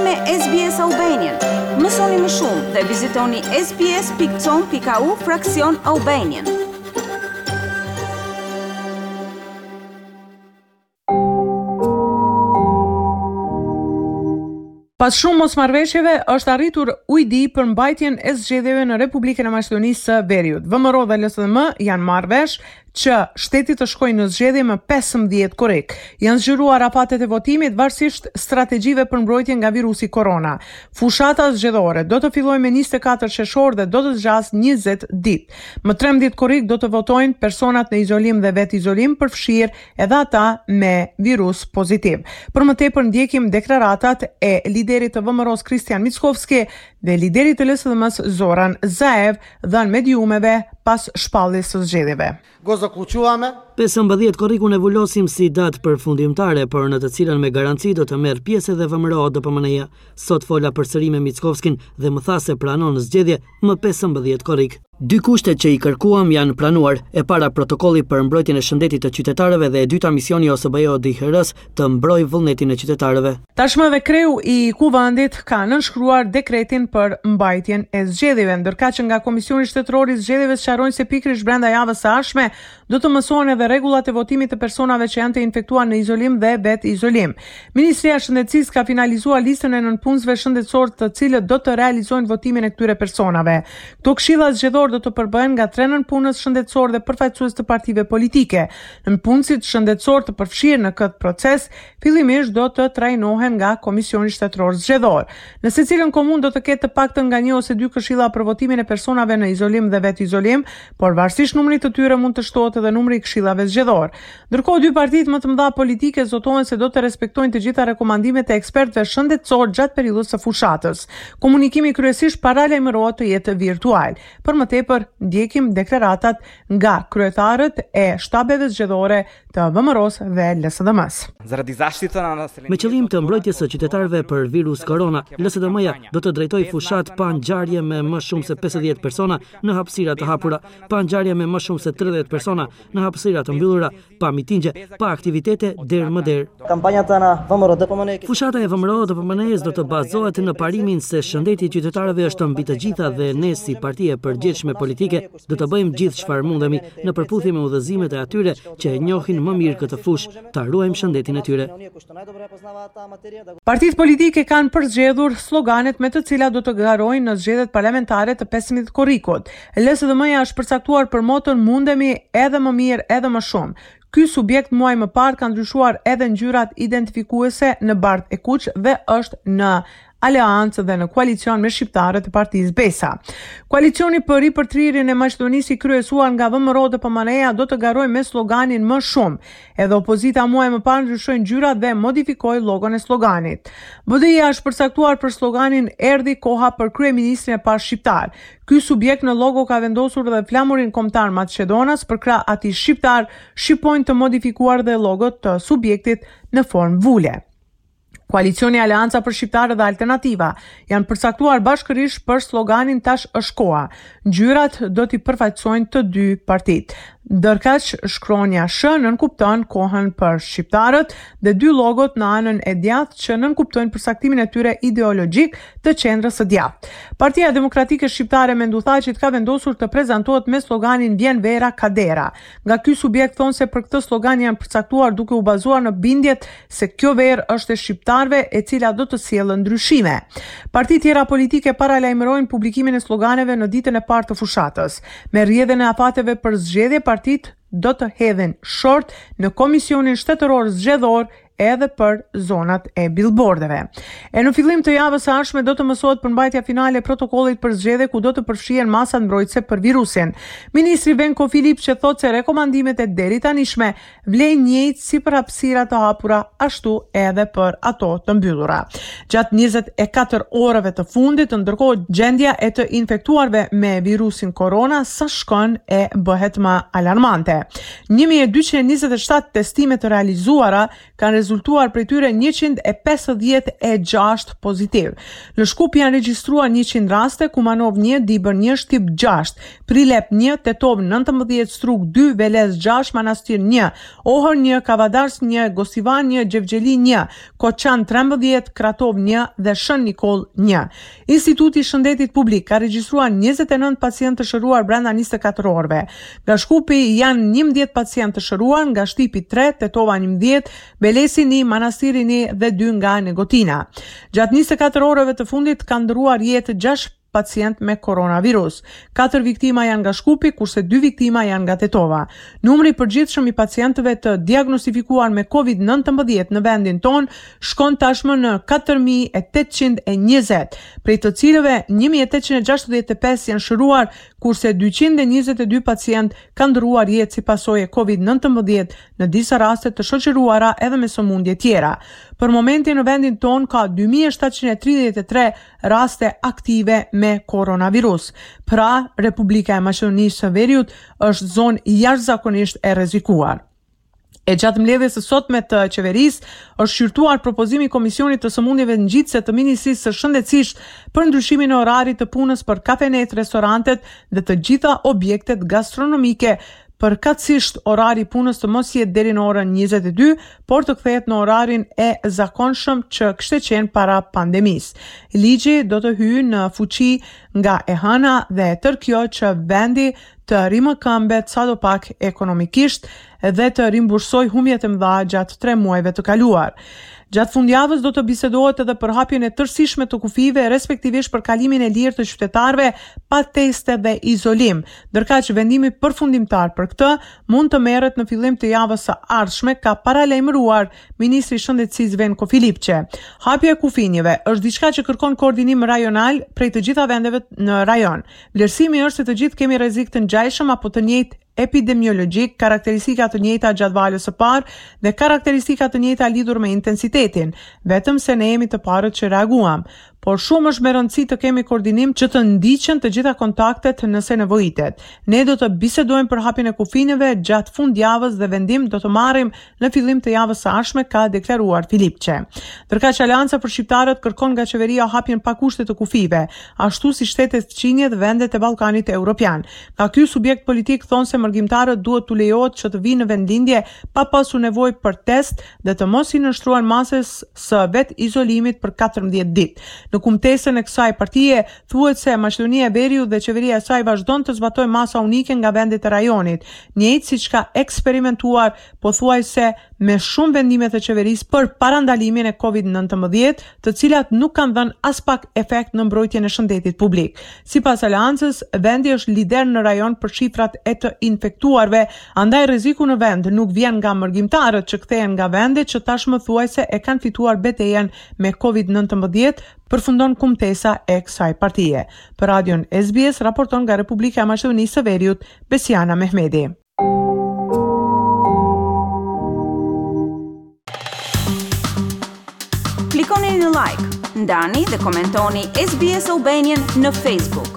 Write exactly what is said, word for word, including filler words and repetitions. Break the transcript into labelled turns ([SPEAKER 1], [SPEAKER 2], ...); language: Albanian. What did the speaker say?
[SPEAKER 1] me S B S Albanian. Mësoni më shumë dhe vizitoni S B S pikë com pikë A U fraksion Albanian.
[SPEAKER 2] Pas shumë mosmarrëveshjeve është arritur ujdi për mbajtjen e zgjedhjeve në Republikën e Maqedonisë së Veriut. V M R O dhe L S D M janë marrë vesh që shteti të shkojë në zgjedhje më pesëmbëdhjetë korrik. Janë zgjeruar afatet e votimit varësisht strategjive për mbrojtje nga virusi korona. Fushata zgjedhore do të fillojë me njëzet e katër qershor dhe do të zgjasë njëzet ditë. Më trembëdhjetë korrik do të votojnë personat në izolim dhe vetë izolim, përfshirë edhe ata me virus pozitiv. Për më tepër ndjekim deklaratat e liderit të V M R O-s Kristian Mickovski dhe liderit të L S D M-s Zoran Zaev dhënë mediumeve pas shpalljes së zgjedhjeve.
[SPEAKER 3] Го заклучуваме
[SPEAKER 4] pesëmbëdhjetë korrikun e vulosim si datë përfundimtare, por në të cilën me garanci do të merr pjesë edhe V M R O D P M N-ja. Sot fola përsëri me Mickovskin dhe më tha se pranon zgjedhje më pesëmbëdhjetë korrik. Dy kushtet që i kërkuam janë pranuar. E para, protokolli për mbrojtjen e shëndetit të qytetarëve dhe e dyta, misioni O S B E O D I H R-s të mbrojë vullnetin e qytetarëve.
[SPEAKER 2] Tashmë edhe kreu i kuvendit ka nënshkruar dekretin për mbajtjen e zgjedhjeve, ndërkaq që nga Komisioni Shtetëror i Zgjedhjeve sqarojnë se pikërisht brenda javës së ardhshme do të mësohen edhe rregullat e votimit të personave që janë të infektuar në izolim dhe vetë izolim. Ministria e Shëndetësisë ka finalizuar listën e nënpunësve shëndetësor të cilët do të realizojnë votimin e këtyre personave. Këto këshilla zgjedhor do të përbëhen nga tre nënpunës shëndetësor dhe përfaqësues të partive politike. Nënpunësit shëndetësor të përfshirë në këtë proces fillimisht do të trajnohen nga Komisioni Shtetëror Zgjedhor. Në secilën komunë do të ketë të paktën nga një ose dy këshilla për votimin e personave në izolim dhe vetë izolim, por varësisht numrit të tyre mund të shtohet edhe numri i këshillave zgjedhor. Ndërkohë, dy partitë më të mëdha politike zotohen se do të respektojnë të gjitha rekomandimet e ekspertëve shëndetësor gjatë periudhës së fushatës. Komunikimi kryesisht paralajmërohet të jetë virtual. Për më tepër ndjekim deklaratat nga kryetarët e shtabeve zgjedhore të V M R O-s dhe L S D M-s.
[SPEAKER 5] Заради заштита на населението
[SPEAKER 4] Me qëllim të mbrojtjes së qytetarëve për virus korona, L S D M-ja do të drejtojë fushat pa ngjarje me më shumë se pesëdhjetë persona në hapësira të hapura, pa ngjarje me më shumë se tridhjetë persona në hapësira të mbyllura, pa mitingje, pa aktivitete derë më derë.
[SPEAKER 6] Kampanjata na V M R O D P M N
[SPEAKER 4] Fushata e V M R O D P M N-s do të bazohet në parimin se shëndeti i qytetarëve është mbi të gjitha dhe ne si parti e përgjegjshme politike do të bëjmë gjithë çfarë mundemi në përputhje me udhëzimet e atyre që e njohin më mirë këtë fushë, ta ruajmë shëndetin e tyre.
[SPEAKER 2] Partitë politike kanë përzgjedhur sloganet me të cilat do të garojnë në zgjedhjet parlamentare të pesëmbëdhjetë korrikut. L S D M-ja është përcaktuar për moton "Mundemi edhe më mirë, edhe më shumë". Ky subjekt muaj më parë ka ndryshuar edhe ngjyrat identifikuese në bardh e kuq dhe është në aleancë dhe në koalicion me shqiptarët e partisë Besa. Koalicioni për ripërtrirjen e Maqedonisë i kryesuar nga V M R O dhe P M N-ja do të garojë me sloganin "Më shumë". Edhe opozita muaj më parë ndryshoi ngjyrat dhe modifikoi logon e sloganit. B D I-ja është përcaktuar për sloganin "Erdhi koha për kryeministrin e parë shqiptar". Ky subjekt në logo ka vendosur edhe flamurin kombëtar maqedonas përkrah atij shqiptar, shqiponjë të modifikuar dhe logot të subjektit në formë vule. Koalicioni Aleanca për Shqiptarët dhe Alternativa janë përcaktuar bashkërisht për sloganin "Tash është koha". Ngjyrat do t'i përfaqësojnë të dy partitë. Ndërkaq, shkronja Sh nënkupton kohën për shqiptarët dhe dy logot në anën e djathtë që nënkuptojnë përcaktimin e tyre ideologjik të qendrës së djathtë. Partia Demokratike Shqiptare e Mendu Thaçit ka vendosur të prezantohet me sloganin "Vjen vera ka dera". Nga ky subjekt thonë se për këtë slogan janë përcaktuar duke u bazuar në bindjet se kjo verë është e shqiptarëve, e cila do të sjellë ndryshime. Partitë tjera politike paralajmërojnë publikimin e sloganeve në ditën e parë të fushatës. Me rrjedhën e afateve për zgjedhje, partitë do të hedhin short në Komisionin Shtetëror Zgjedhor edhe për zonat e billboardeve. E në fillim të javës së ardhshme do të mësohet përmbajtja finale e protokollit për zgjedhje, ku do të përfshihen masat mbrojtëse për virusin. Ministri Venko Filipçe thotë se rekomandimet e deri tanishme vlejnë njëjtë si për hapësira të hapura ashtu edhe për ato të mbyllura. Gjatë njëzet e katër orëve të fundit, ndërkohë, gjendja e të infektuarve me virusin korona sa shkon e bëhet më alarmante. një mijë e dyqind e njëzet e shtatë testime të realizuara kanë rezultuar prej tyre njëqind e pesëdhjetë e gjashtë pozitiv. Në Shkup janë regjistruar njëqind raste, Kumanov një, Dibër një, Shtip gjashtë, Prilep një, Tetovë nëntëmbëdhjetë, Strug dy, Veles gjashtë, Manastir një, Ohër një, Kavadars një, Gostivan një, Gjevgjeli një, Koçan trembëdhjetë, Kratov një dhe Shën Nikoll një. Instituti i Shëndetit Publik ka regjistruar njëzet e nëntë pacientë të shëruar brenda njëzet e katër orëve. Nga Shkupi janë njëmbëdhjetë pacientë të shëruar, nga Shtipi tre, Tetova njëmbëdhjetë, Velesi një, Manastiri një dhe dy nga Negotina. Gjatë njëzet e katër orëve të fundit kanë ndërruar jetë gjashtë pacient me koronavirus. Katër viktima janë nga Shkupi, kurse dy viktima janë nga Tetova. Numri i përgjithshëm i pacientëve të diagnostifikuar me Covid nëntëmbëdhjetë në vendin tonë shkon tashmë në katër mijë e tetëqind e njëzet, prej të cilëve një mijë e tetëqind e gjashtëdhjetë e pesë janë shëruar, kurse dyqind e njëzet e dy pacient kanë ndërruar jetë si pasojë e Covid nëntëmbëdhjetë, në disa raste të shoqëruara edhe me sëmundje tjera. Për momentin në vendin tonë ka dy mijë e shtatëqind e tridhjetë e tre raste aktive me koronavirus. Pra, Republika e Maqedonisë së Veriut është zonë jashtëzakonisht e rrezikuar. E gjatë mbledhjes së sotme të qeverisë është shqyrtuar propozimi i Komisionit të Sëmundjeve Ngjitëse të Ministrisë së Shëndetësisë për ndryshimin e orarit të punës për kafenet, restorantet dhe të gjitha objektet gastronomike, përkatësisht orari i punës të mos jetë deri në orën njëzet e dy, por të kthehet në orarin e zakonshëm që kishte qenë para pandemisë. Ligji do të hyjë në fuqi nga e hëna dhe e tërë kjo që vendi të rimëkëmbet sado pak ekonomikisht dhe të rimbursoj humbjet e mëdha gjatë tre muajve të kaluar. Gjatë fundjavës do të bisedohet edhe për hapjen e tërësishme të kufijve, respektivisht për kalimin e lirë të qytetarëve pa teste dhe izolim. Ndërkaq vendimi përfundimtar për këtë mund të merret në fillim të javës së ardhshme, ka paralajmëruar ministri i Shëndetësisë Venko Filipçe. Hapja e kufinjeve është diçka që kërkon koordinim rajonal prej të gjitha vendeve në rajon. Vlerësimi është se të gjithë kemi rrezik të ngjashëm apo të njëjtë epidemiologjik, karakteristika të njëjta gjatë valës së parë dhe karakteristika të njëjta lidhur me intensitetin, vetëm se ne jemi të parët që reaguam. Por shumë është me rëndësi të kemi koordinim që të ndiqen të gjitha kontaktet nëse nevojitet. Ne do të bisedojmë për hapjen e kufineve gjatë fundjavës dhe vendim do të marrim në fillim të javës së ardhshme, ka deklaruar Filipçe. Ndërkaq Aleanca për Shqiptarët kërkon nga qeveria hapjen pa kushte të kufijve, ashtu si shtetet fqinje dhe vendet e Ballkanit Evropian. Nga ky subjekt politik thonë se mërgimtarët duhet t'u lejohet që të vinë në vendlindje pa pasur nevojë për test dhe të mos i nënshtrohen masës së vet izolimit për katërmbëdhjetë ditë. Në kumtesën e kësaj partie thuhet se Maqedonia e Veriut dhe qeveria e saj vazhdon të zbatojë masa unike nga vendet e rajonit, njëjtë siç ka eksperimentuar pothuajse me shumë vendime të qeverisë për parandalimin e Covid nëntëmbëdhjetë, të cilat nuk kanë dhënë as pak efekt në mbrojtjen e shëndetit publik. Sipas Aleancës, vendi është lider në rajon për shifrat e të infektuarve, andaj rreziku në vend nuk vjen nga mërgimtarët që kthehen nga vende që tashmë thuajse e kanë fituar betejën me Covid nëntëmbëdhjetë, përfundon kumtesa e kësaj partie. Për Radion S B S raporton nga Republika e Maqedonisë së Veriut, Besiana Mehmedi.
[SPEAKER 1] Klikoni në like, ndani dhe komentoni S B S Albanian në Facebook.